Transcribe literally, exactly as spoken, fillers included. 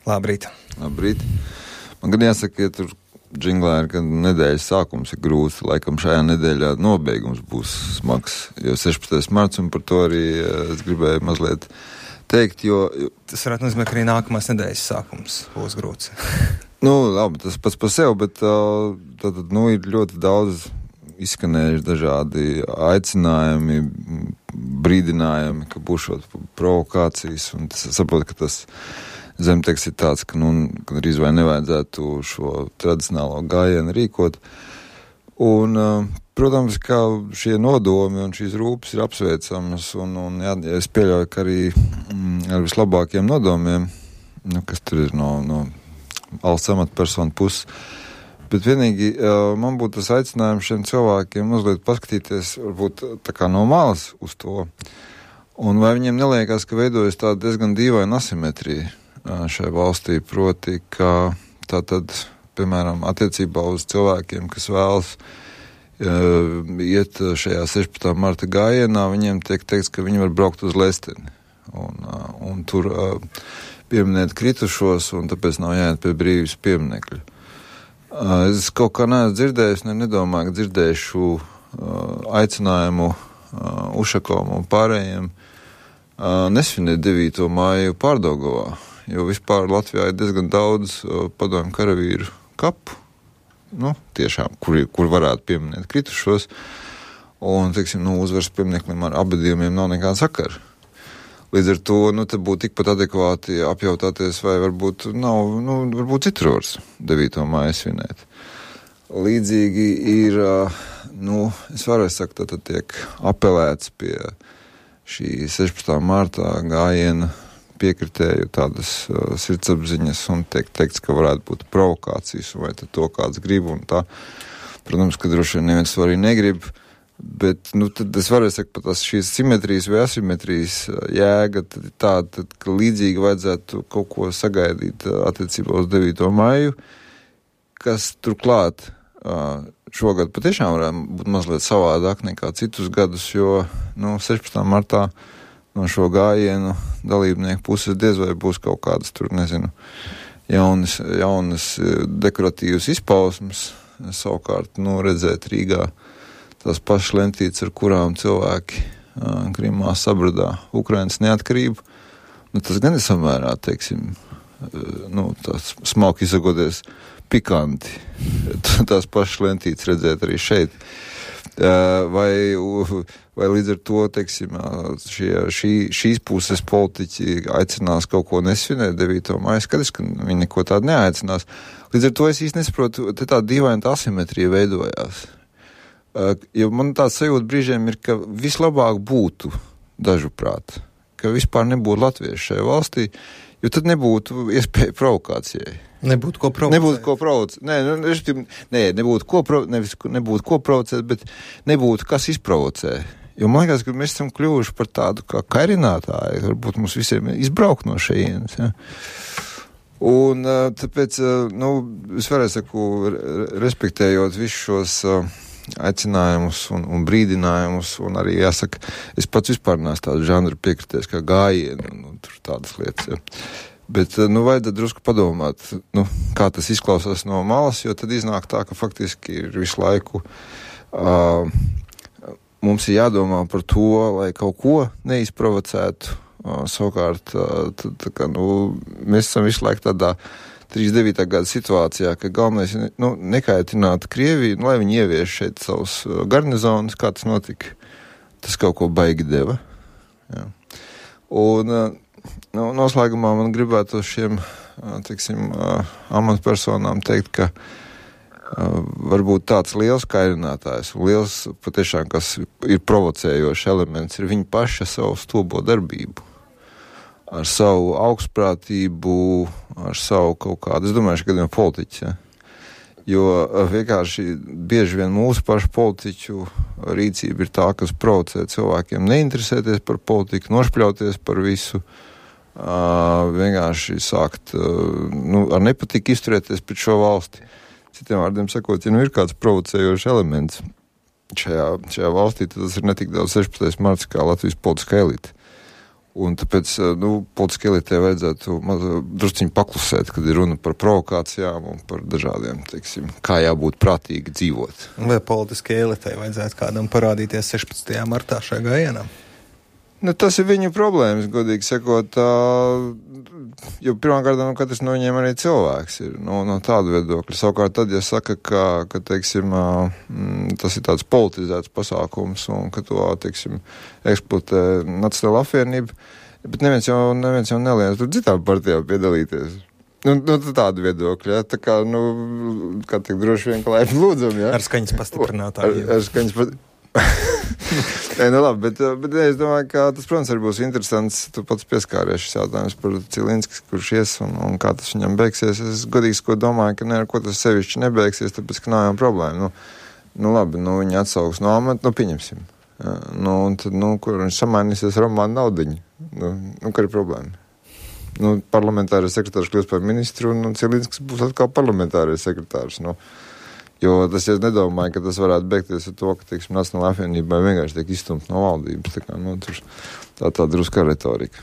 Labrīt. Labrīt. Man gan jāsaka, ja tur džinglā ir, ka nedēļas sākums ir grūts, laikam šajā nedēļā nobeigums būs smags, jo sešpadsmitais marts, un par to arī es gribēju mazliet teikt, jo... Tas varētu nozīmēt, ka arī nākamās nedēļas sākums būs grūts. Nu, labi, tas pats par sevi, bet tad, nu, ir ļoti daudz izskanējuši dažādi aicinājumi, brīdinājumi, ka būšot provokācijas, un tas, saprotu, ka tas zemteksts ir tāds, ka, nu, arī vai nevajadzētu šo tradicionālo gājienu rīkot. Un, protams, ka šie nodomi un šīs rūpes ir apsveicamas, un, un jā, es pieļauju, ka arī mm, ar vislabākiem nodomiem, nu, kas tur ir no, no valsts amatpersonu puses, bet vienīgi man būtu tas aicinājums šiem cilvēkiem mazliet paskatīties, varbūt tā kā no malas uz to, un vai viņiem neliekās, ka veidojas tāda diezgan dīvaina asimetrija šai valstī, proti, ka tā tad, piemēram, attiecībā uz cilvēkiem, kas vēlas uh, iet šajā sešpadsmitā marta gājienā, viņiem tiek teikts, ka viņi var braukt uz Lesteni un, uh, un tur uh, pieminēt kritušos, un tāpēc nav jāiet pie brīvības pieminekļa. Uh, es kaut kā neesmu dzirdējis, ne nedomāju, ka dzirdēšu uh, aicinājumu uh, Ušakovam un pārējiem uh, nesvinēt devīto māju Pārdaugavā, jo vispār Latvijā ir diezgan daudz uh, padomju karavīru kapu, nu, tiešām, kur, kur varētu pieminēt kritušos, un, teiksim, nu, uzvaras piemineklim ar abadījumiem nav nekāda sakara. Līdz ar to, nu, te būtu tikpat adekvāti apjautāties, vai varbūt nav, nu, varbūt citur vars devīto māju svinēt. Līdzīgi ir, uh, nu, es varēju sakt, tad tiek apelēts pie šī sešpadsmitā martā gājiena piekritēju tādas uh, sirdsapziņas un tiek teikts, ka varētu būt provokācijas vai to kāds grib un tā. Protams, ka droši vien neviens to arī negrib, bet, nu, tad es varēju sakt, pat tās šīs simetrijas vai asimetrijas jēga, tad ir tā, tad, ka līdzīgi vajadzētu kaut ko sagaidīt attiecībā uz devīto māju, kas turklāt uh, šogad patiešām varētu būt mazliet savādāk nekā citus gadus, jo, nu, sešpadsmitā martā no šo gājienu dalībnieku puses diez vai būs kaut kādas tur, nezinu, jaunas, jaunas dekoratīvas izpausmes. Savukārt, nu, redzēt Rīgā tās pašas lentītes, ar kurām cilvēki uh, Krimā sabradā Ukrainas neatkarību, nu, tas gan ir samērā, teiksim, uh, nu, tās smalki izsakoties pikanti. Tās pašas lentītes redzēt arī šeit. Uh, vai, vai līdz ar to, teiksim, šie, šī, šīs puses politiķi aicinās kaut ko nesvinēt devīto māju, skaties, ka viņi neko tādu neaicinās. Līdz ar to es īsti nesaprotu, te tā dīvaina asimetrija veidojās. Uh, jo man tāds sajūta brīžiem ir, ka vislabāk būtu dažuprāt, ka vispār nebūtu latvieši šajā valstī, jo tad nebūtu iespēja provokācijai. Nebūtu ko provocēt. Nebūtu ko provocēt. Nē, nu, nē, nebūtu ko, provo- nevis, nebūtu ko provocēt, bet nebūtu kas izprovocē. Jo man liekas, ka mēs esam kļuvuši par tādu kā kairinātāju, varbūt mums visiem izbraukt no šejienes. Ja? Un tāpēc, nu, es varēju saku, respektējot visus šos aicinājumus un, un brīdinājumus, un arī jāsaka, es pats vispār neesmu tādu žanru piekrities kā gājienu, un, un tur tādas lietas, ja. Bet, nu, vajadzētu drusku padomāt, nu, kā tas izklausās no malas, jo tad iznāk tā, ka faktiski ir visu laiku uh, mums ir jādomā par to, lai kaut ko neizprovocētu. Uh, savukārt, uh, tad, tā kā, nu, mēs esam visu laiku tādā trīsdesmit devītā gada situācijā, ka galvenais ir, nu, nekaitināt Krieviju, nu, lai viņi ievieš šeit savus garnizonus, kā tas notika. Tas kaut ko baigi deva. Jā. Un, uh, Nu, noslēgumā man gribētu šiem, teiksim, amatpersonām teikt, ka varbūt tāds liels kairinātājs, liels patiešām, kas ir provocējošs elements, ir viņa paša savu stobo darbību. Ar savu augstprātību, ar savu kaut kādu, es domāju, šī gadījumā politiķi, ja? Jo vienkārši bieži vien mūsu pašu politiķu rīcība ir tā, kas provocē cilvēkiem neinteresēties par politiku, nošpļauties par visu, Uh, vienkārši sākt uh, nu, ar nepatiku izturēties pret šo valsti. Citiem vārdiem sakot, ja nu ir kāds provocējošs elements šajā, šajā valstī, tad tas ir ne tik daudz sešpadsmitais marts kā Latvijas politiskā elite. Un tāpēc, nu, politiski elitē vajadzētu drusciņi paklusēt, kad ir runa par provokācijām un par dažādiem, teiksim, kā jābūt prātīgi dzīvot. Vai politiski elitē vajadzētu kādam parādīties sešpadsmitajā martā šajā gājienā? Nu, tas ir viņu problēmas, godīgi sakot, jo pirmkārt, nu, katrs no viņiem arī cilvēks ir, no, no tāda viedokļa. Savukārt tad, ja saka, ka, ka teiksim, tas ir tāds politizēts pasākums un ka to, teiksim, eksploatē Nacionāla apvienība, bet neviens jau, neviens jau neliens tur citām partijām piedalīties. Nu, nu tāda viedokļa, ja? Tā kā, nu, kā tik droši vien, ka laipni lūdzam, ja? Ar skaņas pastiprinātājiem. Ar, ar skaņas pastiprinātājiem. Nē, nu labi, bet, bet es domāju, ka tas, protams, arī būs interesants. Tu pats pieskāries šis jautājums par Cilinskis, kurš ies un, un kā tas viņam beigsies. Es godīgi ko domāju, ka ne ar ko tas sevišķi nebeigsies, tāpēc, ka nav jau problēma. Nu, nu labi, nu viņi atsauks no amata, nu pieņemsim. Ja, nu, un tad, nu, kur viņš samainīsies Romānu naudiņu. Nu, nu, kā ir problēma? Nu, parlamentārais sekretārs kļūst par ministru un Cilinskis būs atkal parlamentārais sekretārs. Nu, jo tas, ja es nedomāju, ka tas varētu beigties ar to, ka, teiksim, Nacionālā apvienībai vienkārši tiek izstumt no valdības. Tā kā, nu, tur tā tā druska retorika.